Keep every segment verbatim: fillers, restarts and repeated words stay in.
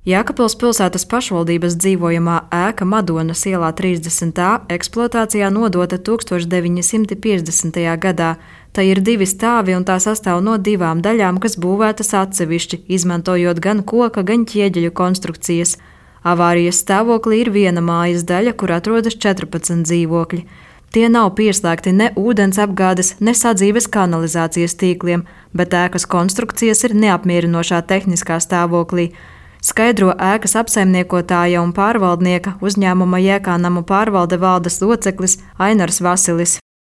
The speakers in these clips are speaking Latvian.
Jēkabpils pilsētas pašvaldības dzīvojamā ēka Madonas ielā trīsdesmit A eksploatācijā nodota tūkstoš deviņi simti piecdesmitajā gadā. Tā ir divi stāvi un tā sastāv no divām daļām, kas būvētas atsevišķi, izmantojot gan koka, gan ķieģeļu konstrukcijas. Avārijas stāvoklī ir viena mājas daļa, kur atrodas četrpadsmit dzīvokļi. Tie nav pieslēgti ne ūdens apgādes, ne sadzīves kanalizācijas tīkliem, bet ēkas konstrukcijas ir neapmierinošā tehniskā stāvoklī. Skaidro ēkas apsaimniekotāja un pārvaldnieka uzņēmuma Jēkānamu pārvalde valdes loceklis Ainars Vasilis.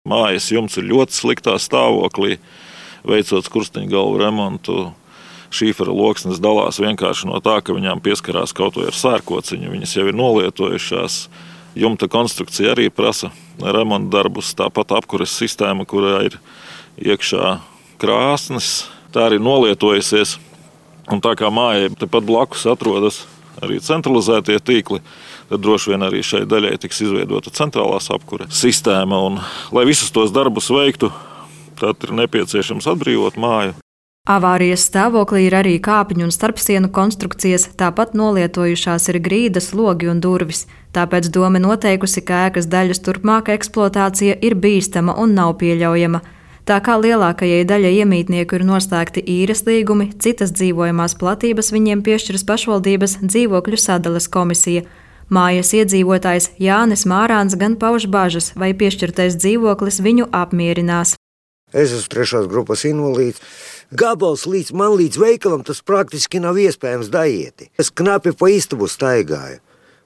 Mājas jumts ir ļoti sliktā stāvoklī, veicot skursteņgalvu remontu. Šīfera loksnes dalās vienkārši no tā, ka viņām pieskarās kaut vai ar sērkociņu. Viņas jau ir nolietojušās. Jumta konstrukcija arī prasa remonta darbus, tāpat apkures sistēma, kurā ir iekšā krāsnes. Tā arī nolietojusies. Un tā kā mājai tepat blakus atrodas arī centralizētie tīkli, tad droši vien arī šai daļai tiks izveidota centrālās apkure sistēma. Un, lai visus tos darbus veiktu, tad ir nepieciešams atbrīvot māju. Avārijas stāvoklī ir arī kāpņu un starpsienu konstrukcijas, tāpat nolietojušās ir grīdas, logi un durvis. Tāpēc dome noteikusi, ka ēkas daļas turpmāka eksploatācija ir bīstama un nav pieļaujama. Tā kā lielākajai daļai iemītnieku ir noslēgti īres līgumi, citas dzīvojamās platības viņiem piešķiras pašvaldības dzīvokļu sadales komisija. Mājas iedzīvotājs Jānis Mārāns gan pauž bažas, vai piešķirtais dzīvoklis viņu apmierinās. Es esmu trešās grupas invalīds. Gabals līdz man līdz veikalam tas praktiski nav iespējams daieti. Es knapi pa istabu staigāju.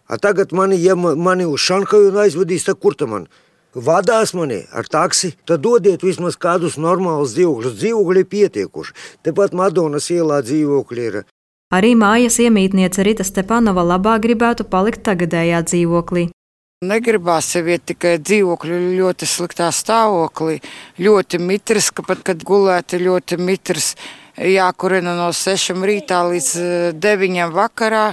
A tagad mani, ja mani uz Šanhaju aizvedīs, tad kur ta man? Vadās mani ar taksi, tad dodiet vismaz kādus normālus dzīvokļus. Dzīvokļi ir pietiekuši. Tepat Madonas ielā dzīvokļi ir. Arī mājas iemītniece Rita Stepanova labāk gribētu palikt tagadējā dzīvoklī. Negribās sev iet tikai dzīvokļu ļoti sliktā stāvoklī. Ļoti mitrs, ka pat kad gulēti ļoti mitrs, jākurina no sešiem rītā līdz deviņiem vakarā.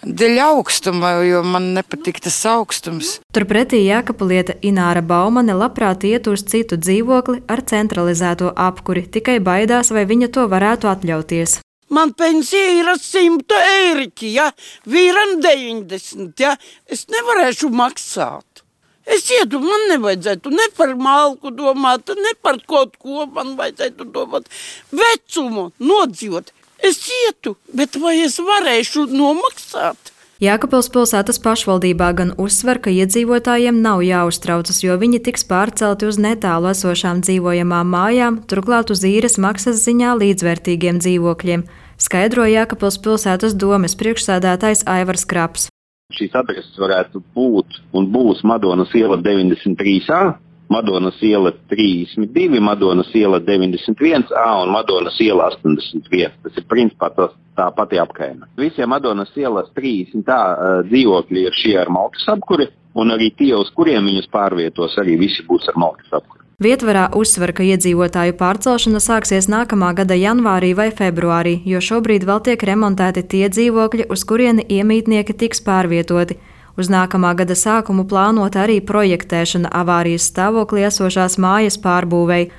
Dēļ augstuma, jo man nepatīk tas augstums. Turpretī Jēkabpiliete Ināra Baumane labprāt iet uz citu dzīvokli ar centralizēto apkuri, tikai baidās, vai viņa to varētu atļauties. Man pensija ir simt eiriķi, ja? Vīram deviņdesmit, ja? Es nevarēšu maksāt. Es ietu, man nevajadzētu ne par malku domāt, ne par kaut ko man vajadzētu domāt. Vecumu nodzīvot. Es ietu, bet vai es varēšu nomaksāt? Jēkabpils pilsētas pašvaldībā gan uzsver, ka iedzīvotājiem nav jāuztraucas, jo viņi tiks pārcelti uz netālu esošām dzīvojamām mājām, turklāt uz īres maksas ziņā līdzvērtīgiem dzīvokļiem, skaidro Jēkabpils pilsētas domes priekšsēdētājs Aivars Kraps. Šīs adreses varētu būt un būs Madonas iela deviņdesmit trīs A. Madonas iela trīsdesmit divi, Madonas iela deviņdesmit viens A un Madonas iela astoņdesmit viens. Tas ir principā tas, tā pati apkaime. Visiem Madonas ielas trīsdesmit A dzīvokļi ir šie ar malkas apkuri, un arī tie, uz kuriem viņus pārvietos, arī visi būs ar malkas apkuri. Vietvarā uzsver, ka iedzīvotāju pārcelšana sāksies nākamā gada janvārī vai februārī, jo šobrīd vēl tiek remontēti tie dzīvokļi, uz kurieni iemītnieki tiks pārvietoti. Uz nākamā gada sākumu plānota arī projektēšana avārijas stāvoklī esošās mājas pārbūvei.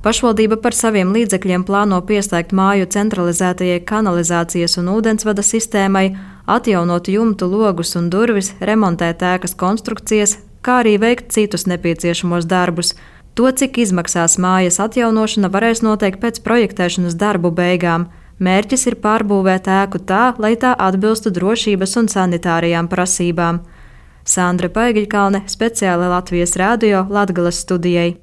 Pašvaldība par saviem līdzekļiem plāno pieslēgt māju centralizētajai kanalizācijas un ūdensvada sistēmai, atjaunot jumtu, logus un durvis, remontēt ēkas konstrukcijas, kā arī veikt citus nepieciešamos darbus. To, cik izmaksās mājas atjaunošana, varēs noteikt pēc projektēšanas darbu beigām. Mērķis ir pārbūvēt ēku tā, lai tā atbilstu drošības un sanitārijām prasībām. Sandra Paigiļkalne, speciāli Latvijas radio Latgales studijai.